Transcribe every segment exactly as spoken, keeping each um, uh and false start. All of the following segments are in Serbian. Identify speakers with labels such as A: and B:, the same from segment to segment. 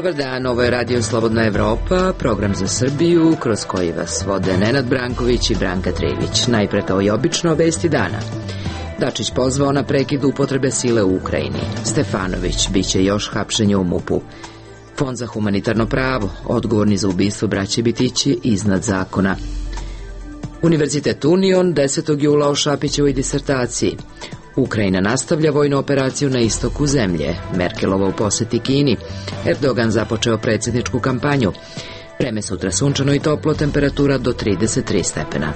A: Dobar dan, ovo je Radio Slobodna Evropa, program za Srbiju, kroz koji vas vode Nenad Branković i Branka Trević. Najpre kao i obično vesti dana. Dačić pozvao na prekid upotrebe sile u Ukrajini. Stefanović, biće još hapšenje u MUP-u. Fond za humanitarno pravo, odgovorni za ubistvo braće Bitići, iznad zakona. Univerzitet Union desetog jula o Šapićevoj disertaciji. Ukrajina nastavlja vojnu operaciju na istoku zemlje. Merkelova u poseti Kini. Erdogan započeo predsjedničku kampanju. Vreme sutra sunčano i toplo, temperatura do trideset tri stepena.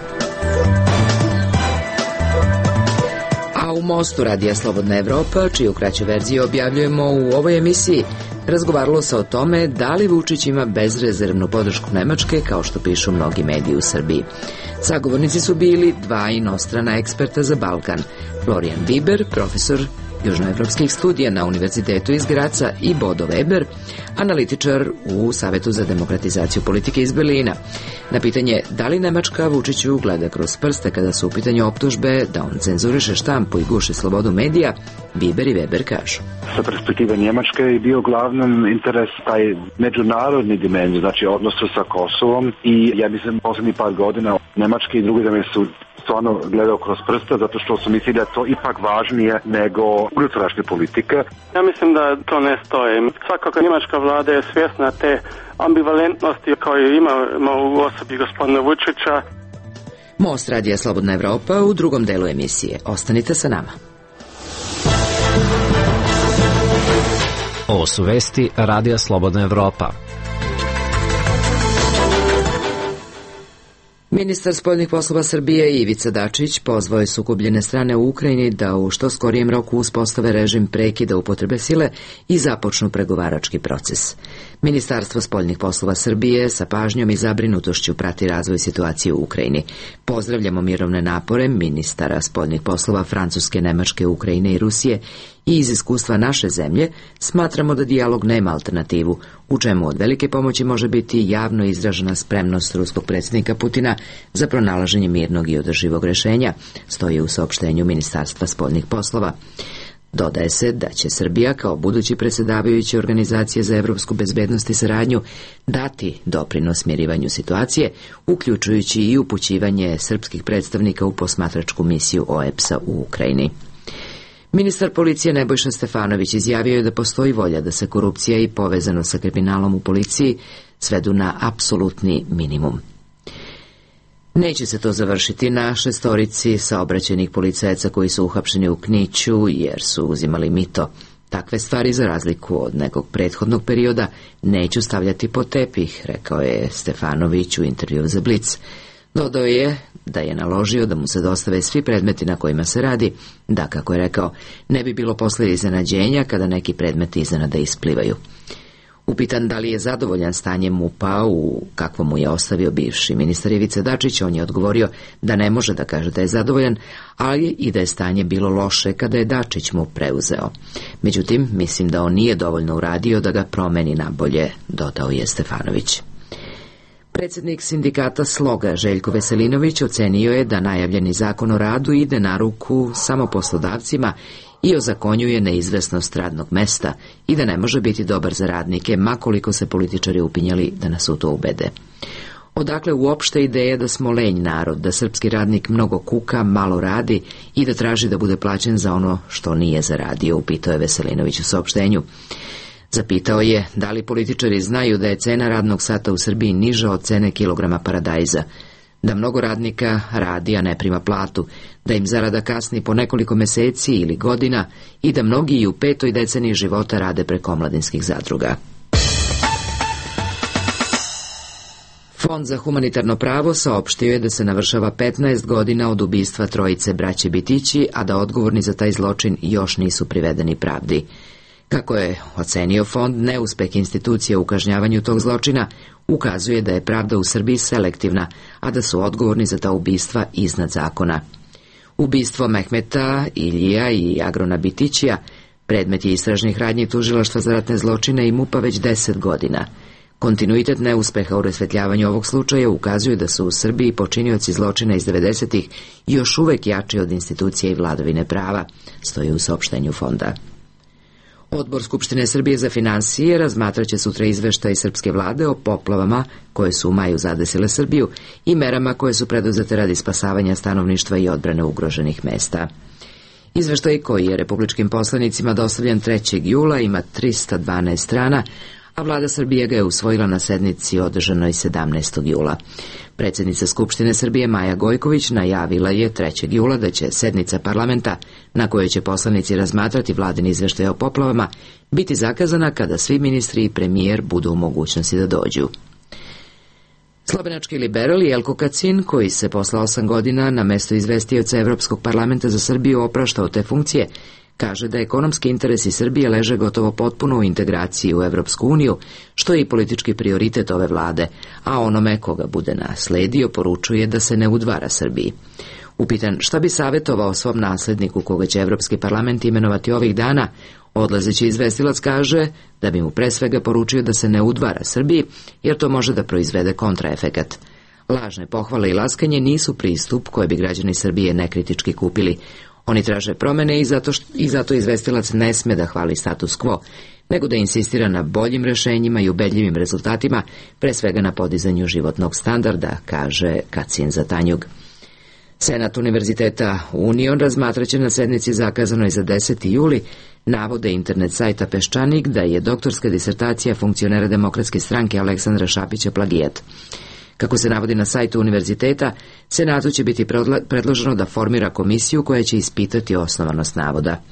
A: A u Mostu Radija Slobodna Evropa, čiju kraću verziju objavljujemo u ovoj emisiji, razgovaralo se o tome da li Vučić ima bezrezervnu podršku Nemačke, kao što pišu mnogi mediji u Srbiji. Sagovornici su bili dva inostrana eksperta za Balkan, Florian Biber, profesor južnoevropskih studija na Univerzitetu iz Graca, i Bodo Weber, analitičar u Savetu za demokratizaciju politike iz Berlina. Na pitanje da li Nemačka Vučiću gleda kroz prste kada su u pitanju optužbe da on cenzuriše štampu i guši slobodu medija, Biber i Weber kažu.
B: Sa perspektive Njemačke je bio glavnom interes taj međunarodni dimenzij, znači odnosu sa Kosovom, i ja mislim poslednjih par godina Nemačke i druge zemlje su stvarno gledao kroz prste, zato što su mislili da je to ipak važnije nego unutrašnje politike.
C: Ja mislim da to ne stoji. Svakako njemačka vlada je svjesna te ambivalentnosti koju imamo u osobi gospodina Vučića.
A: Most Radija Slobodna Evropa u drugom delu emisije. Ostanite sa nama.
D: Ovo su vesti Radija Slobodna Evropa.
A: Ministar spoljnih poslova Srbije Ivica Dačić pozvao je sukobljene strane u Ukrajini da u što skorijem roku uspostave režim prekida upotrebe sile i započnu pregovarački proces. Ministarstvo spoljnih poslova Srbije sa pažnjom i zabrinutošću prati razvoj situacije u Ukrajini. Pozdravljamo mirovne napore ministara spoljnih poslova Francuske, Nemačke, Ukrajine i Rusije i iz iskustva naše zemlje smatramo da dijalog nema alternativu, u čemu od velike pomoći može biti javno izražena spremnost ruskog predsjednika Putina za pronalaženje mirnog i održivog rješenja, stoji u saopštenju Ministarstva spoljnih poslova. Dodaje se da će Srbija kao budući predsjedavajući Organizacije za evropsku bezbednost i saradnju dati doprinos smirivanju situacije, uključujući i upućivanje srpskih predstavnika u posmatračku misiju O E P S-a u Ukrajini. Ministar policije Nebojša Stefanović izjavio je da postoji volja da se korupcija i povezano sa kriminalom u policiji svedu na apsolutni minimum. Neće se to završiti na šestorici saobraćajnih policajaca koji su uhapšeni u Kniću jer su uzimali mito. Takve stvari, za razliku od nekog prethodnog perioda, neću stavljati pod tepih, rekao je Stefanović u intervju za Blic. Dodao je da je naložio da mu se dostave svi predmeti na kojima se radi, da, kako je rekao, ne bi bilo posle iznenađenja kada neki predmeti iznenada isplivaju. Upitan da li je zadovoljan stanjem M U P-a u kakvom mu je ostavio bivši ministar Ivica Dačić, on je odgovorio da ne može da kaže da je zadovoljan, ali i da je stanje bilo loše kada je Dačić mu preuzeo. Međutim, mislim da on nije dovoljno uradio da ga promeni na bolje, dodao je Stefanović. Predsjednik sindikata Sloga Željko Veselinović ocenio je da najavljeni zakon o radu ide na ruku samo poslodavcima i ozakonjuje neizvesnost radnog mesta i da ne može biti dobar za radnike, ma koliko se političari upinjali da nas u to ubede. Odakle uopšte ideja da smo lenj narod, da srpski radnik mnogo kuka, malo radi i da traži da bude plaćen za ono što nije zaradio, upitao je Veselinović u saopštenju. Zapitao je da li političari znaju da je cena radnog sata u Srbiji niža od cene kilograma paradajza, da mnogo radnika radi, a ne prima platu, da im zarada kasni po nekoliko meseci ili godina i da mnogi i u petoj deceniji života rade preko omladinskih zadruga. Fond za humanitarno pravo saopštio je da se navršava petnaest godina od ubistva trojice braće Bitići, a da odgovorni za taj zločin još nisu privedeni pravdi. Kako je ocenio fond, neuspeh institucija u kažnjavanju tog zločina ukazuje da je pravda u Srbiji selektivna, a da su odgovorni za ta ubistva iznad zakona. Ubistvo Mehmeta, Iljija i Agrona Bitićija predmet je istražnih radnji Tužilaštva za ratne zločine i M U P-a već deset godina. Kontinuitet neuspeha u rasvetljavanju ovog slučaja ukazuje da su u Srbiji počinioci zločina iz devedesetih još uvek jači od institucija i vladavine prava, stoji u saopštenju fonda. Odbor Skupštine Srbije za finansije razmatraće sutra izveštaj srpske vlade o poplavama koje su u maju zadesile Srbiju i merama koje su preduzete radi spasavanja stanovništva i odbrane ugroženih mesta. Izveštaj koji je republičkim poslanicima dostavljen trećeg jula ima trista dvanaest strana, a vlada Srbije ga je usvojila na sednici održanoj sedamnaestog jula. Predsjednica Skupštine Srbije Maja Gojković najavila je trećeg jula da će sednica parlamenta, na kojoj će poslanici razmatrati vladin izveštaj o poplavama, biti zakazana kada svi ministri i premijer budu u mogućnosti da dođu. Slovenački liberal Jelko Kacin, koji se posle osam godina na mesto izvestioca Evropskog parlamenta za Srbiju opraštao te funkcije, kaže da ekonomski interesi Srbije leže gotovo potpuno u integraciji u Evropsku uniju, što je i politički prioritet ove vlade, a onome koga bude nasledio poručuje da se ne udvara Srbiji. Upitan šta bi savjetovao svom nasledniku koga će Evropski parlament imenovati ovih dana, odlazeći izvestilac kaže da bi mu pre svega poručio da se ne udvara Srbiji, jer to može da proizvede kontraefekat. Lažne pohvale i laskanje nisu pristup koje bi građani Srbije nekritički kupili. Oni traže promene i zato, što, i zato izvestilac ne sme da hvali status quo, nego da insistira na boljim rešenjima i ubedljivim rezultatima, pre svega na podizanju životnog standarda, kaže Kacin za Tanjug. Senat Univerziteta Union razmatraće na sednici zakazanoj za deseti juli navode internet sajta Peščanik da je doktorska disertacija funkcionera Demokratske stranke Aleksandra Šapića plagijat. Kako se navodi na sajtu univerziteta, Senatu će biti predloženo da formira komisiju koja će ispitati osnovanost navoda.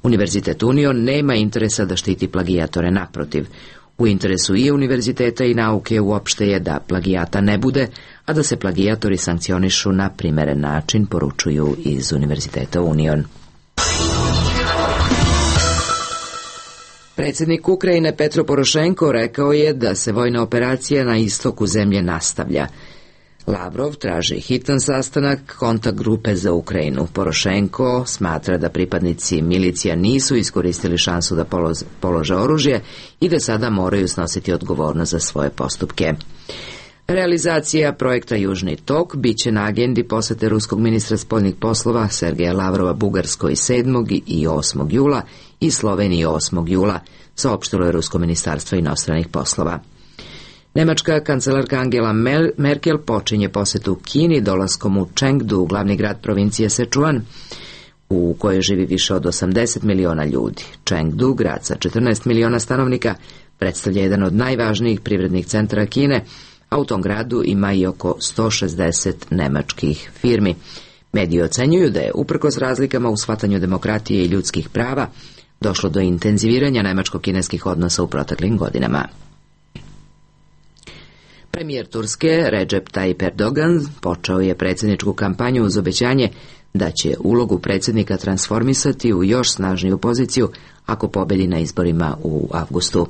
A: Univerzitet Union nema interesa da štiti plagijatore, naprotiv. U interesu i univerziteta i nauke uopšte je da plagijata ne bude, a da se plagijatori sankcionišu na primeren način, poručuju iz Univerziteta Union. Predsjednik Ukrajine Petro Porošenko rekao je da se vojna operacija na istoku zemlje nastavlja. Lavrov traži hitan sastanak kontakt grupe za Ukrajinu. Porošenko smatra da pripadnici milicija nisu iskoristili šansu da polože oružje i da sada moraju snositi odgovornost za svoje postupke. Realizacija projekta Južni tok biće na agendi posete ruskog ministra spoljnih poslova Sergeja Lavrova Bugarskoj sedmog i osmog jula i Sloveniji osmog jula, saopštilo je Rusko ministarstvo inostranih poslova. Nemačka kancelarka Angela Merkel počinje posetu Kini dolaskom u Chengdu, glavni grad provincije Sichuan, u kojoj živi više od osamdeset miliona ljudi. Chengdu, grad sa četrnaest miliona stanovnika, predstavlja jedan od najvažnijih privrednih centara Kine, a u tom gradu ima i oko sto šezdeset nemačkih firmi. Mediji ocenjuju da je, uprkos razlikama u shvatanju demokratije i ljudskih prava, došlo do intenziviranja nemačko-kineskih odnosa u proteklim godinama. Premijer Turske Recep Tayyip Erdogan počeo je predsjedničku kampanju uz obećanje da će ulogu predsjednika transformisati u još snažniju poziciju ako pobedi na izborima u avgustu.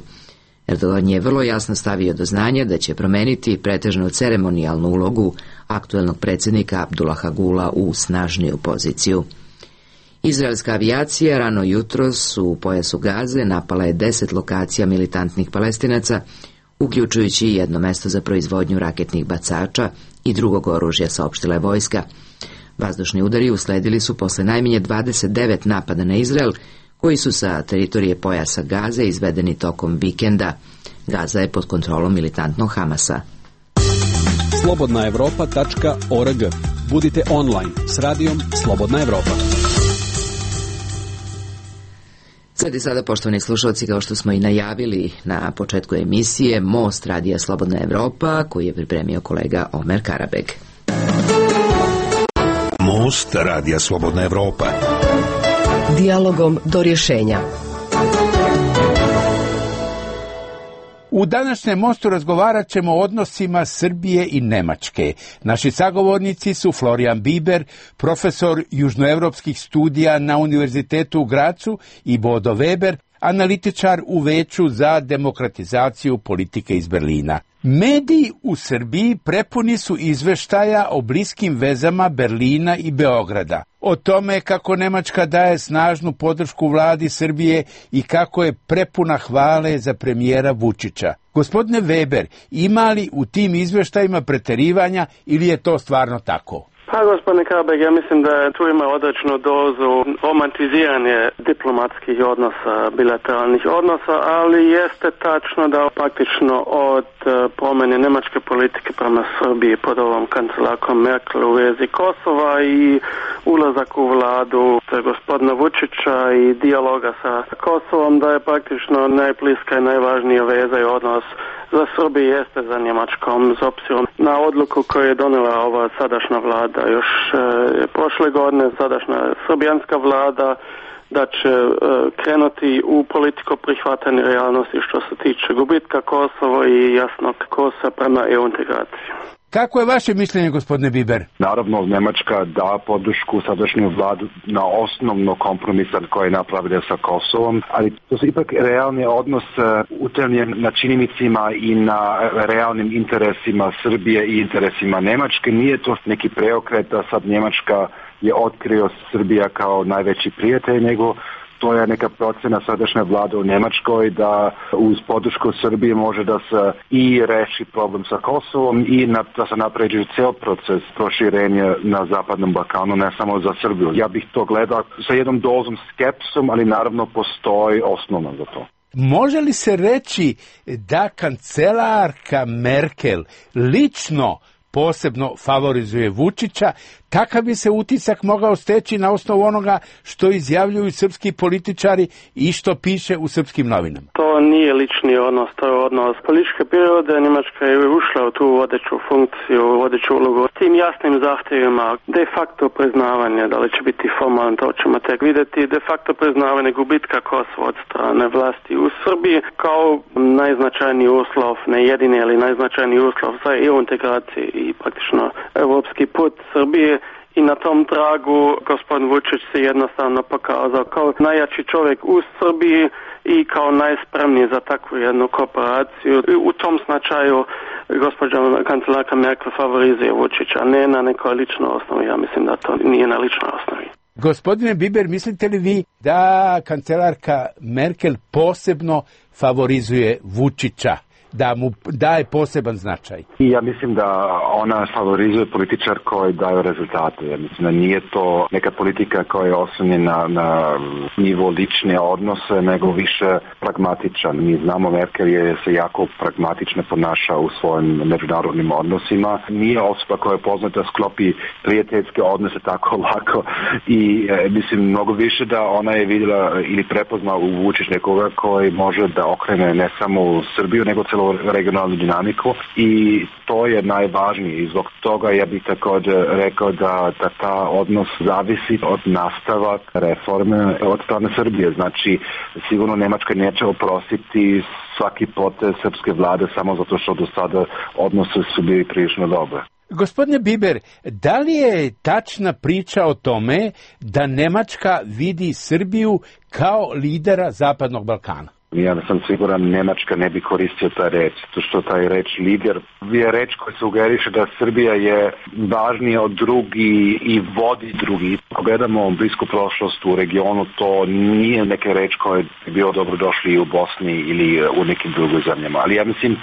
A: Erdogan je vrlo jasno stavio do znanja da će promeniti pretežno ceremonijalnu ulogu aktuelnog predsjednika Abdullaha Gula u snažniju poziciju. Izraelska avijacija rano jutros u pojasu Gaze napala je deset lokacija militantnih Palestinaca, uključujući jedno mesto za proizvodnju raketnih bacača i drugog oružja, saopštila je vojska. Vazdušni udari usledili su posle najmanje dvadeset devet napada na Izrael, koji su sa teritorije pojasa Gaze izvedeni tokom vikenda. Gaza je pod kontrolom militantnog Hamasa.
E: slobodna evropa tačka org. Budite online s radijom Slobodna Evropa.
A: Sad i sada, poštovani slušalci, kao što smo i najavili na početku emisije, Most radija Slobodna Evropa, koji je pripremio kolega Omer Karabeg.
F: Most radija Slobodna Evropa.
G: Dijalogom do rješenja.
H: U današnjem Mostu razgovarat ćemo o odnosima Srbije i Nemačke. Naši sagovornici su Florijan Biber, profesor južnoevropskih studija na Univerzitetu u Gracu, i Bodo Weber, analitičar u Veću za demokratizaciju politike iz Berlina. Mediji u Srbiji prepuni su izveštaja o bliskim vezama Berlina i Beograda. O tome kako Nemačka daje snažnu podršku vladi Srbije i kako je prepuna hvale za premijera Vučića. Gospodine Weber, ima li u tim izveštajima preterivanja ili je to stvarno tako?
C: Pa Pa, gospodine Kabeg, ja mislim da tu ima određenu dozu romantiziranje diplomatskih odnosa, bilateralnih odnosa, ali jeste tačno da praktično od promjene njemačke politike prema Srbiji pod ovom kancelarkom Merkel u vezi Kosova i ulazak u vladu gospodina Vučića i dijaloga sa Kosovom, da je praktično najbliska i najvažnija veza i odnos za Srbiju jeste za Njemačkom, s obzirom na odluku koju je donijela ova sadašnja vlada još e, prošle godine, sadašnja srbijanska vlada, da će e, krenuti u politiku prihvatanja realnosti što se tiče gubitka Kosova i jasnog kursa prema E U integraciji.
H: Kako je vaše mišljenje, gospodine Biber?
B: Naravno, Njemačka da podršku sadašnju vladu na osnovno kompromisa koje je napravila sa Kosovom, ali to su ipak realni odnos utemeljen na činjenicima i na realnim interesima Srbije i interesima Njemačke. Nije to neki preokret da sad Njemačka je otkrio Srbija kao najveći prijatelj, nego to je neka procena sadašnje vlade u Njemačkoj da uz podršku Srbije može da se i reši problem sa Kosovom i na, da se napređuje ceo proces proširenja na Zapadnom Balkanu, ne samo za Srbiju. Ja bih to gledao sa jednom dozom skepsom, ali naravno postoji osnova za to.
H: Može li se reći da kancelarka Merkel lično posebno favorizuje Vučića? Kakav bi se utisak mogao steći na osnovu onoga što izjavljuju srpski političari i što piše u srpskim novinama?
C: To nije lični odnos, to je odnos političke prirode. Njemačka je ušla u tu vodeću funkciju, vodeću ulogu s tim jasnim zahtjevima, de facto priznavanje, da li će biti formalno, to ćemo tek vidjeti, de facto priznavanje gubitka Kosova od strane vlasti u Srbiji kao najznačajniji uslov, ne jedini, ali najznačajniji uslov za E U integraciji i praktično evropski put Srbije. I na tom tragu gospodin Vučić se jednostavno pokazao kao najjači čovjek u Srbiji i kao najspremniji za takvu jednu kooperaciju. U tom značaju gospođa kancelarka Merkel favorizuje Vučića, ne na nekoj ličnoj osnovi. Ja mislim da to nije na ličnoj osnovi.
H: Gospodine Biber, mislite li vi da kancelarka Merkel posebno favorizuje Vučića, da mu daje poseban značaj?
B: I ja mislim da ona favorizuje političar koji daju rezultate. Ja mislim da nije to neka politika koja je oslonjena na nivo lične odnose, nego više pragmatičan. Mi znamo Merkel je se jako pragmatično ponaša u svojim međunarodnim odnosima. Nije osoba koja je poznata sklopi prijateljske odnose tako lako i e, mislim mnogo više da ona je vidjela ili prepoznala u Vučić nekoga koji može da okrene ne samo Srbiju, nego celo regionalnu dinamiku i to je najvažnije i zbog toga ja bih također rekao da, da ta odnos zavisi od nastavak reforme od strane Srbije. Znači sigurno Njemačka neće oprostiti svaki potez srpske vlade samo zato što do sada odnose su bili prilično dobre.
H: Gospodine Biber, da li je tačna priča o tome da Njemačka vidi Srbiju kao lidera Zapadnog Balkana?
B: Ja sam siguran Njemačka ne bi koristio taj reč, to što taj reč lider je reč koja sugeriše da Srbija je važnija od drugi i vodi drugi. Ako gledamo blisku prošlost u regionu, to nije neka reč koja je bio dobro došli i u Bosni ili u nekim drugim zemljama. Ali ja mislim,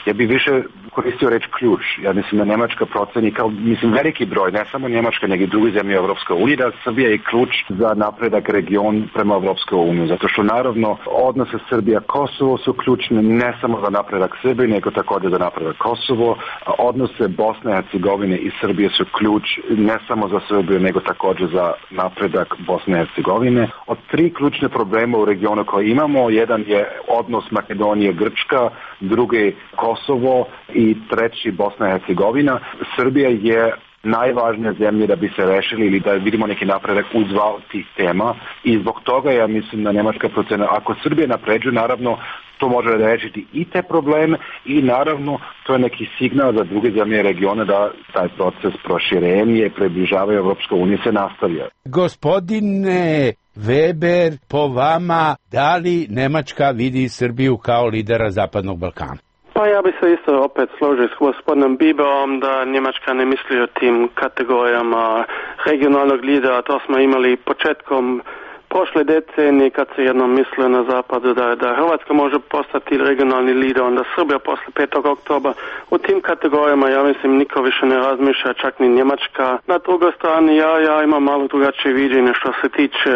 B: ja bi više koristio reč ključ. Ja mislim da Njemačka proceni kao, mislim, veliki broj, ne samo Njemačka, nego i druge zemlje Evropske unije, da Srbija je ključ za napredak region prema Evropske unije. Zato što naravno odnose Srbija Kosovo su ključne ne samo za napredak Srbije, nego također za napredak Kosovo. Odnose Bosne i Hercegovine i Srbije su ključ ne samo za Srbiju, nego također za napredak Bosne i Hercegovine. Od tri ključne problema u regionu koje imamo, jedan je odnos Makedonije-Grčka, drugi Kosovo i treći Bosna i Hercegovina. Srbija je najvažnija zemlja da bi se rešili ili da vidimo neki napredak uz dva tih tema i zbog toga ja mislim da Njemačka procena, ako Srbija napređuje, naravno to može rešiti i te probleme i naravno to je neki signal za druge zemlje regiona da taj proces proširenja i približavanja Evropske unije se nastavlja.
H: Gospodine Weber, po vama, da li Njemačka vidi Srbiju kao lidera Zapadnog Balkana?
C: Pa ja bi se isto opet složio s gospodinom Biberom da Njemačka ne misli o tim kategorijama regionalnog lidera. To smo imali početkom prošle decenije kad se jednom mislio na zapadu da, da Hrvatska može postati regionalni lider, onda Srbija posle petog oktobra. U tim kategorijama ja mislim niko više ne razmišlja, čak ni Njemačka. Na drugoj strani ja, ja imam malo drugačije viđenje što se tiče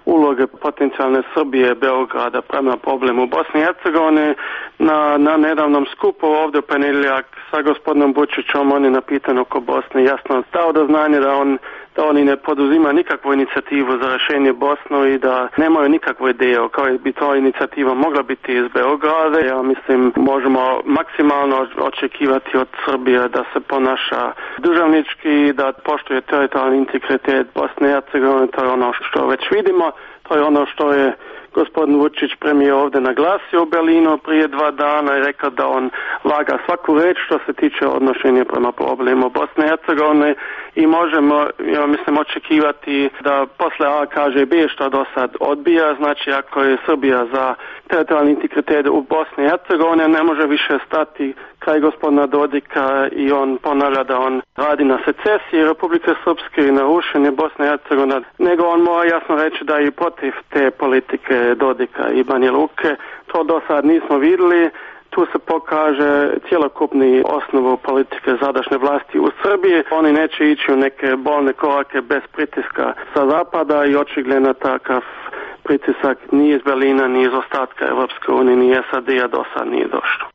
C: uloge potencijalne Srbije, Beograda prema problemu Bosne i Hercegovine. Na, na nedavnom skupu ovdje u ponedjeljak sa gospodinom Vučićom on je napitan oko Bosne jasno dao do znanja da on da oni ne poduzima nikakvu inicijativu za rješenje Bosnu i da nemaju nikakvu ideju kao bi to inicijativa mogla biti iz Beograda. Ja mislim možemo maksimalno očekivati od Srbije da se ponaša državnički, da poštuje teritorijalni integritet Bosne i Hercegovine. To je ono što već vidimo, to je ono što je gospodin Vučić premijer ovdje naglasio u Berlinu prije dva dana i rekao da on vaga svaku reč što se tiče odnošenja prema problemu Bosne i Hercegovine i možemo, ja mislim, očekivati da posle A kaže B što do sad odbija, znači ako je Srbija za teritorijalni integritet u Bosni i Hercegovini ne može više stati kraj gospodina Dodika i on ponavlja da on radi na secesiji Republike Srpske i na rušenje Bosne i Hercegovine, nego on mora jasno reći da je protiv te politike Dodika i Banja Luke. To do sad nismo vidjeli. Tu se pokaže cjelokupni osnovu politike sadašnje vlasti u Srbiji. Oni neće ići u neke bolne korake bez pritiska sa zapada i očigledno takav pritisak ni iz Berlina, ni iz ostatka Evropske unije, ni S A D-a do sad nije došlo.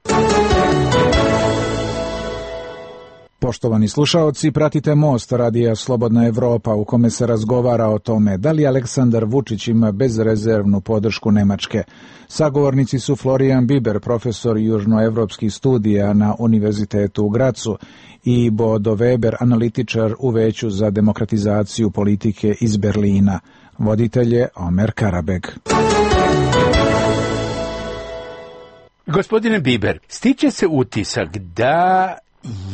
I: Poštovani slušaoci, pratite Most radija Slobodna Evropa u kome se razgovara o tome da li Aleksandar Vučić ima bezrezervnu podršku Nemačke. Sagovornici su Florian Biber, profesor južnoevropskih studija na Univerzitetu u Gracu, i Bodo Weber, analitičar u Veću za demokratizaciju politike iz Berlina. Voditelj je Omer Karabeg.
H: Gospodine Biber, stiče se utisak da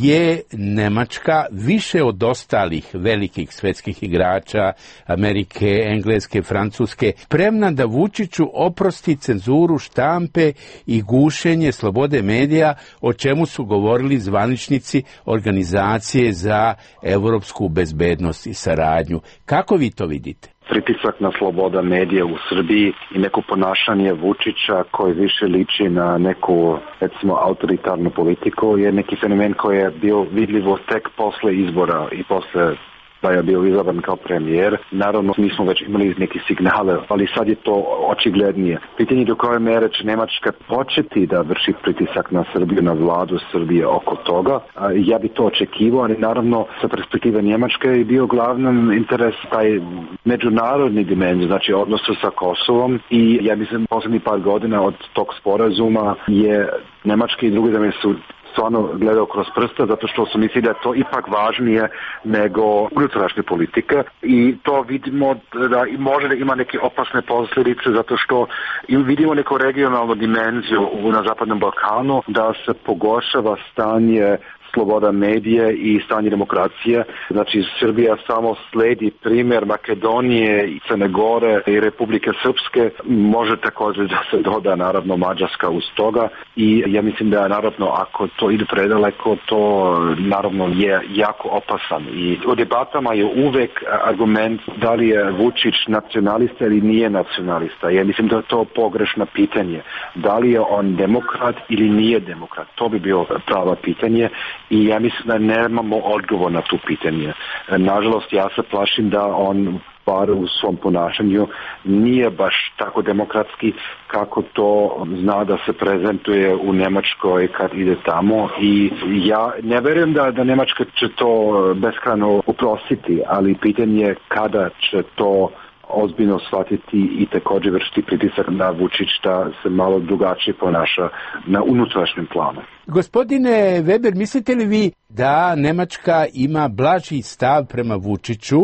H: je Nemačka više od ostalih velikih svetskih igrača Amerike, Engleske, Francuske spremna da Vučiću oprosti cenzuru štampe i gušenje slobode medija, o čemu su govorili zvaničnici Organizacije za evropsku bezbednost i saradnju. Kako vi to vidite?
B: Pritisak na sloboda medija u Srbiji i neko ponašanje Vučića koji više liči na neku, recimo, autoritarnu politiku je neki fenomen koji je bio vidljivo tek posle izbora i posle da je bio izabran kao premijer. Naravno, mi smo već imali neke signale, ali sad je to očiglednije. Pitanje do koje mere će Nemačka početi da vrši pritisak na Srbiju, na vladu Srbije oko toga. Ja bi to očekivao, ali naravno sa perspektive Njemačke je bio glavnom interes taj međunarodni dimenzij, znači odnosu sa Kosovom i ja mislim poslednjih par godina od tog sporazuma je Nemačka i druge zemlje su stvarno gledao kroz prsta, zato što su mislili da je to ipak važnije nego unutrašnje politike i to vidimo da može da ima neke opasne posljedice, zato što vidimo neku regionalnu dimenziju na Zapadnom Balkanu, da se pogoršava stanje sloboda medije i stanje demokracije. Znači, Srbija samo sledi primjer Makedonije i Crne Gore i Republike Srpske. Može također da se doda naravno Mađarska uz toga i ja mislim da naravno ako to ide predaleko, to naravno je jako opasan. I u debatama je uvek argument da li je Vučić nacionalista ili nije nacionalista. Ja mislim da je to pogrešno pitanje. Da li je on demokrat ili nije demokrat? To bi bilo pravo pitanje. I ja mislim da nemamo odgovor na tu pitanje. Nažalost, ja se plašim da on bar u svom ponašanju nije baš tako demokratski kako to zna da se prezentuje u Nemačkoj kad ide tamo i ja ne verujem da, da Nemačka će to beskrajno uprostiti, ali pitanje je kada će to ozbiljno shvatiti i također vršiti pritisak na Vučić da se malo drugačije ponaša na unutrašnjem planu.
H: Gospodine Weber, mislite li vi da Nemačka ima blaži stav prema Vučiću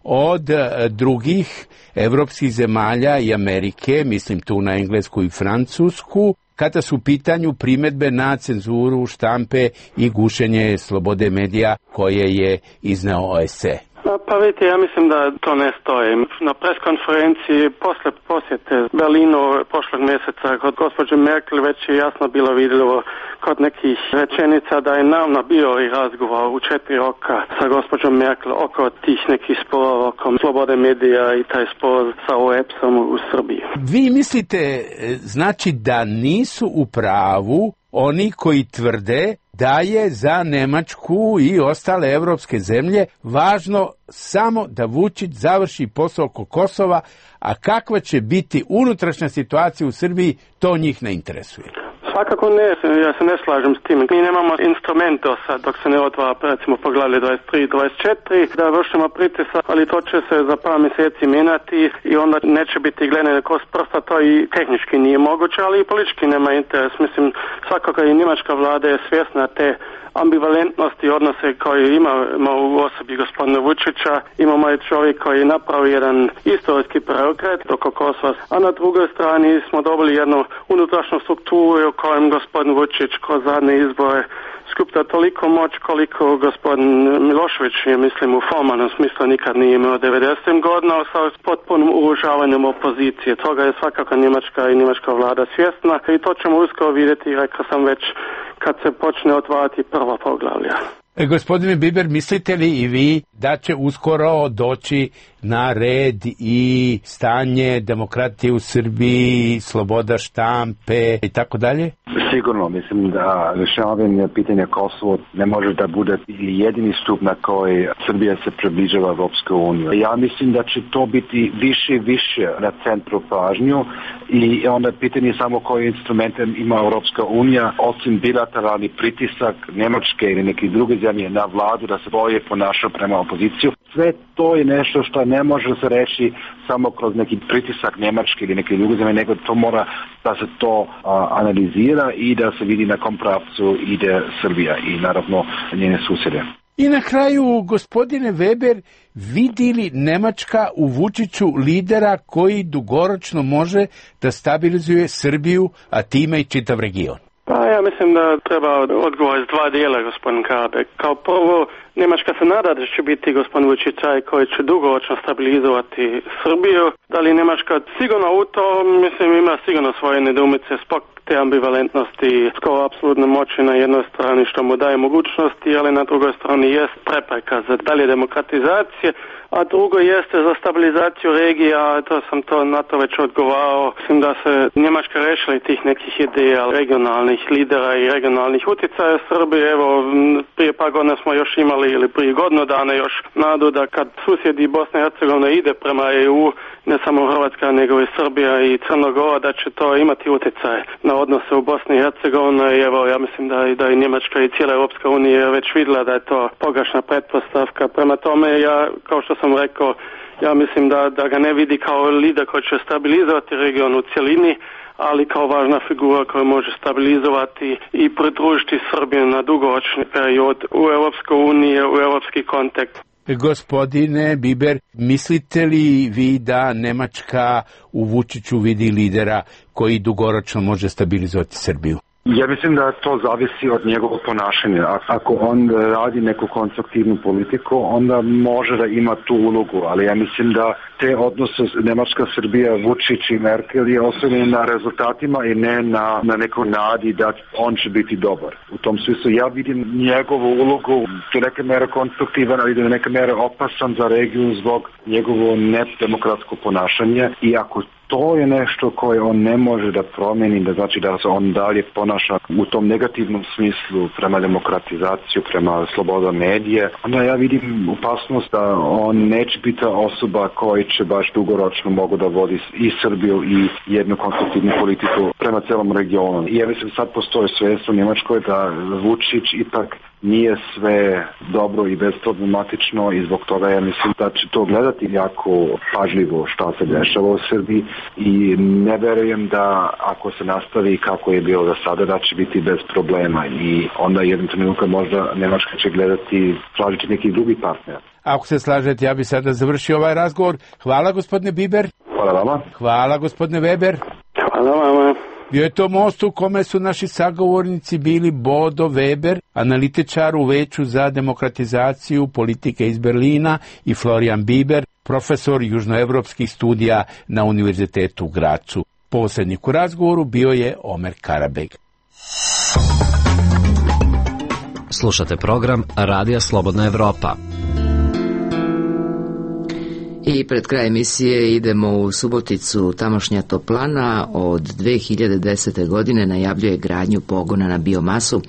H: od drugih evropskih zemalja i Amerike, mislim tu na Englesku i Francusku, kada su u pitanju primedbe na cenzuru štampe i gušenje slobode medija koje je izneo O S C E?
C: Pa vidite, ja mislim da to ne stoji. Na preskonferenciji posle posjete Berlinu prošlog mjeseca kod gospođe Merkel već je jasno bilo vidljivo kod nekih rečenica da je naravno bio i razgovor u četiri roka sa gospođom Merkel oko tih nekih sporova, oko slobode medija i taj spor sa O E P S-om u Srbiji.
H: Vi mislite, znači da nisu u pravu oni koji tvrde da je za Nemačku i ostale evropske zemlje važno samo da Vučić završi posao oko Kosova, a kakva će biti unutrašnja situacija u Srbiji, to njih ne interesuje.
C: Svakako ne, ja se ne slažem s tim. Mi nemamo instrument do sad, dok se ne otvara, recimo, poglavlje dvadeset tri dvadeset četiri, da vršimo pritisak, ali to će se za par mjeseci mijenjati i onda neće biti gledane kroz prsta, to i tehnički nije moguće, ali i politički nema interes. Mislim, svakako i njemačka vlada je svjesna te ambivalentnosti odnose koje imamo u osobi gospodina Vučića. Imamo je čovjek koji je napravio jedan istorijski preokret oko Kosova, a na drugoj strani smo dobili jednu unutrašnju strukturu u kojem gospodin Vučić kroz zadnje izbore skuplja toliko moć koliko gospodin Milošević je, mislim, u formalnom smislu nikad nije imao devedesetim godina sa potpunim urušavanjem opozicije. Toga je svakako njemačka i njemačka vlada svjesna i to ćemo uskoro vidjeti, rekao sam već, kad se počne otvarati prva poglavlja.
H: E, gospodine Biber, mislite li i vi da će uskoro doći na red i stanje demokratije u Srbiji, sloboda štampe i tako dalje?
B: Sigurno, mislim da rješavanje pitanja Kosovo ne može da bude jedini stup na koji Srbija se približava Evropskoj uniji. Ja mislim da će to biti više i više na centru pažnju i onda pitanje samo koje instrumente ima Evropska unija, osim bilateralni pritisak Nemačke ili neke druge zemlje na vladu da se bolje ponaša prema opoziciju. Sve to je nešto što ne može se reći samo kroz neki pritisak Nemačke ili neke druge zemlje, nego to mora da se to a, analizira i da se vidi na kom pravcu ide Srbija i naravno njene susjede.
H: I na kraju, gospodine Weber, vidi li Nemačka u Vučiću lidera koji dugoročno može da stabilizuje Srbiju, a time i čitav region?
C: Pa ja mislim da treba odgovor iz dva dijela, gospodin Karbek. Kao prvo, Njemačka se nada da će biti gospodin Vučić taj koji će dugoročno stabilizovati Srbiju. Da li Njemačka sigurno u to, mislim, ima sigurno svoje nedoumice zbog te ambivalentnosti, skoro apsolutne moći na jednoj strani što mu daje mogućnosti, ali na drugoj strani jest prepreka za dalje demokratizacije, a drugo jeste za stabilizaciju regija, to sam to na to već odgovarao. Mislim da se Njemačka rešili tih nekih ideja regionalnih lidera i regionalnih utjecaja Srbije. Evo, prije par godina smo još imali, ili prije godinu dana još, nadu da kad susjedi Bosna i Hercegovina ide prema E U, ne samo Hrvatska, nego i Srbija i Crna Gora, da će to imati utjecaj na odnose u Bosni i Hercegovini. I evo, ja mislim da, da i Njemačka i cijela Europska unija već vidjela da je to pogrešna pretpostavka. Prema tome, ja, kao što sam rekao, ja mislim da, da ga ne vidi kao lider koji će stabilizovati region u cjelini, ali kao važna figura koja može stabilizovati i pridružiti Srbiju na dugoročni period u Europsku uniju, u europski kontekst.
H: Gospodine Biber, mislite li vi da Nemačka u Vučiću vidi lidera koji dugoročno može stabilizovati Srbiju?
B: Ja mislim da to zavisi od njegovog ponašanja. Ako on radi neku konstruktivnu politiku, onda može da ima tu ulogu, ali ja mislim da te odnose Nemačka, Srbija, Vučić i Merkel je osnovljeni na rezultatima i ne na, na neku nadi da on će biti dobar. U tom smislu ja vidim njegovu ulogu do neke mere konstruktivan, ali do neke mere opasan za regiju zbog njegovo nedemokratsko ponašanje i ako to je nešto koje on ne može da promeni, da znači da se on dalje ponaša u tom negativnom smislu prema demokratizaciju, prema sloboda medije, onda ja vidim opasnost da on neće biti osoba koja će baš dugoročno mogu da vodi i Srbiju i jednu konstruktivnu politiku prema celom regionu. I ja mislim sad postoje svest u Njemačkoj da Vučić ipak nije sve dobro i bezproblematično i zbog toga ja mislim da će to gledati jako pažljivo šta se dešava u Srbiji i ne verujem da ako se nastavi kako je bilo do sada da će biti bez problema i onda jednom trenutku možda Nemačka će gledati tražiti neki drugi partner.
H: Ako se slažete, ja bi sada završio ovaj razgovor. Hvala gospodine Biber.
B: Hvala vama.
H: Hvala gospodine Weber.
C: Hvala vama.
H: Bio je to most u kome su naši sagovornici bili Bodo Weber, analitičar u Veću za demokratizaciju politike iz Berlina, i Florian Bieber, profesor južnoevropskih studija na Univerzitetu u Gracu. Posrednik u razgovoru bio je Omer Karabeg.
D: Slušate program Radija Slobodna Evropa.
A: I pred kraj emisije idemo u Suboticu. Tamošnja toplana od dve hiljade desete. godine najavljuje gradnju pogona na biomasu,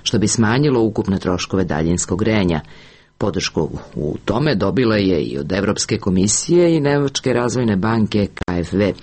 A: što bi smanjilo ukupne troškove daljinskog grejanja. Podršku u tome dobila je i od Evropske komisije i Nemačke razvojne banke K F W.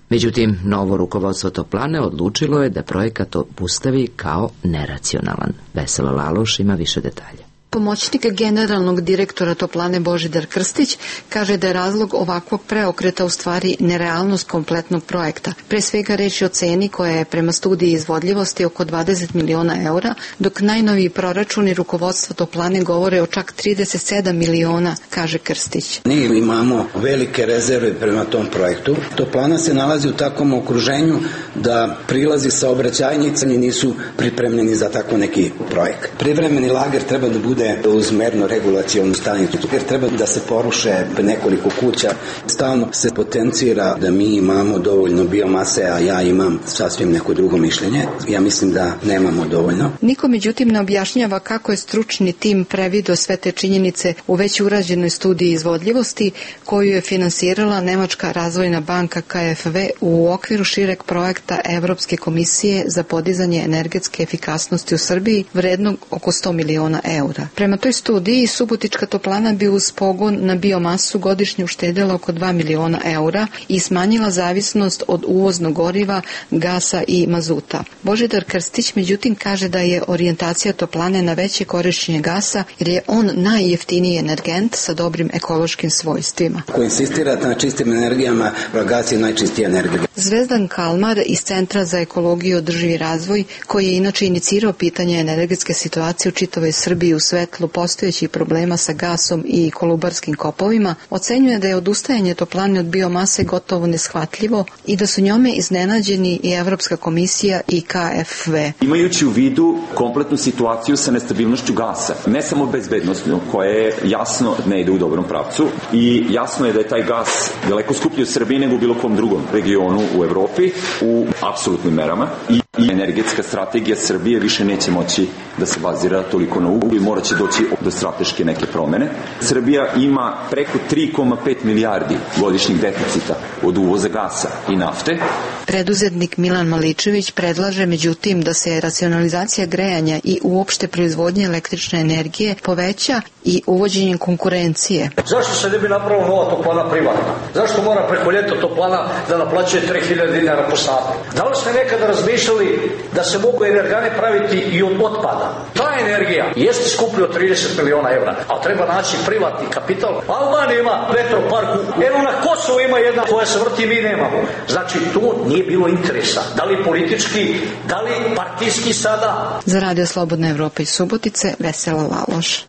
A: Međutim, novo rukovodstvo toplane odlučilo je da projekat obustavi kao neracionalan. Vesela Laloš ima više detalja.
J: Pomoćnik generalnog direktora toplane Božidar Krstić kaže da je razlog ovakvog preokreta u stvari nerealnost kompletnog projekta. Pre svega reč je o ceni koja je prema studiji izvodljivosti oko dvadeset miliona eura, dok najnoviji proračuni rukovodstva toplane govore o čak trideset sedam miliona, kaže Krstić.
K: Mi imamo velike rezerve prema tom projektu. Toplana se nalazi u takvom okruženju da prilazi saobraćajnice nisu pripremljeni za tako neki projekt. Privremeni lager treba da bude uz merno regulacionu stanicu, jer treba da se poruše nekoliko kuća. Stalno se potencira da mi imamo dovoljno biomase, a ja imam sasvim neko drugo mišljenje. Ja mislim da nemamo dovoljno.
J: Niko međutim ne objašnjava kako je stručni tim previdio sve te činjenice u već urađenoj studiji izvodljivosti koju je finansirala Nemačka razvojna banka K F W u okviru šireg projekta Evropske komisije za podizanje energetske efikasnosti u Srbiji vrednog oko sto miliona eura. Prema toj studiji, Subotička toplana bi uz pogon na biomasu godišnje uštedela oko dva miliona eura i smanjila zavisnost od uvoznog goriva, gasa i mazuta. Božidar Krstić međutim kaže da je orijentacija toplane na veće korišćenje gasa jer je on najjeftiniji energent sa dobrim ekološkim svojstvima.
K: Ko insistirate na čistim energijama, gas je najčistija energija.
J: Zvezdan Kalmar iz Centra za ekologiju i održivi razvoj, koji je inače inicirao pitanje energetske situacije u čitavoj Srbiji u svetlu postojećih problema sa gasom i kolubarskim kopovima, ocenjuje da je odustajanje toplane od biomase gotovo neshvatljivo i da su njome iznenađeni i Evropska komisija i K F W.
L: Imajući u vidu kompletnu situaciju sa nestabilnošću gasa, ne samo bezbednostno, koja je jasno ne ide u dobrom pravcu i jasno je da je taj gas daleko skuplji u Srbiji nego u bilo kom drugom regionu u Evropi u apsolutnim merama i i energetska strategija Srbije više neće moći da se bazira toliko na uglju i morat će doći do strateške neke promene. Srbija ima preko tri zarez pet milijardi godišnjih deficita od uvoza gasa i nafte.
J: Preduzetnik Milan Maličević predlaže međutim da se racionalizacija grejanja i uopšte proizvodnje električne energije poveća i uvođenjem konkurencije.
M: Zašto se ne bi napravila nova toplana privatna? Zašto mora preko ljeta toplana da naplaćuje tri hiljade dinara po satu? Da li ste nekada razmišljali da se mogu energane praviti i od otpada? Ta energija jeste skuplja od trideset miliona evra, ali treba naći privatni kapital. Albanija ima vetroparku, eno na Kosovu ima jedna koja se vrti, mi nemamo. Znači tu nije bilo interesa. Da li politički, da li partijski sada?
J: Za Radio Slobodna Evropa iz Subotice, Vesela Laloš.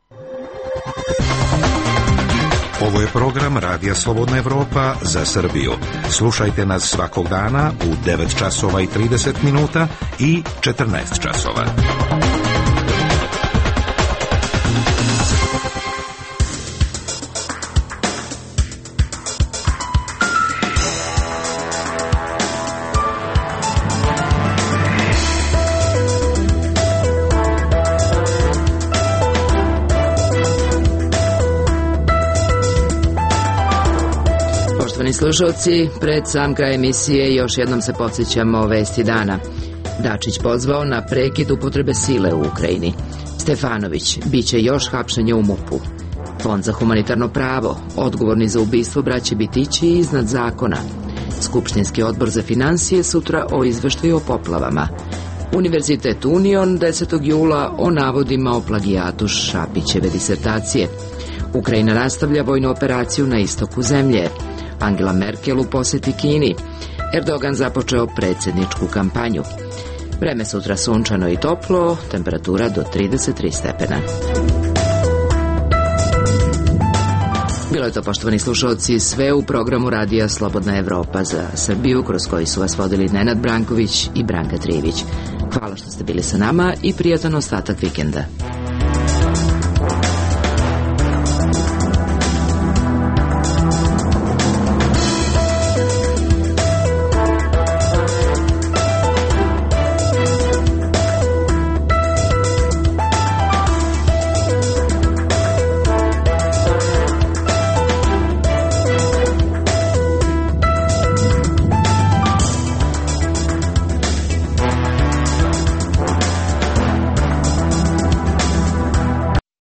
F: Ovo je program Radija Slobodna Evropa za Srbiju. Slušajte nas svakog dana u devet časova i trideset minuta i četrnaest časova.
A: Slušalci, pred sam kraj emisije još jednom se podsjećamo vesti dana. Dačić pozvao na prekid upotrebe sile u Ukrajini. Stefanović, biće još hapšenja u MUP-u. Fond za humanitarno pravo, odgovorni za ubistvo braće Bitići iznad zakona. Skupštinski odbor za finansije sutra o izveštaju o poplavama. Univerzitet Union desetog jula o navodima o plagijatu Šapićeve disertacije. Ukrajina nastavlja vojnu operaciju na istoku zemlje. Angela Merkel u poseti Kini. Erdogan započeo predsjedničku kampanju. Vreme sutra sunčano i toplo, temperatura do trideset tri stepena. Bilo je to, poštovani slušalci, sve u programu Radija Slobodna Evropa za Srbiju, kroz koji su vas vodili Nenad Branković i Branka Trijević. Hvala što ste bili sa nama i prijatan ostatak vikenda.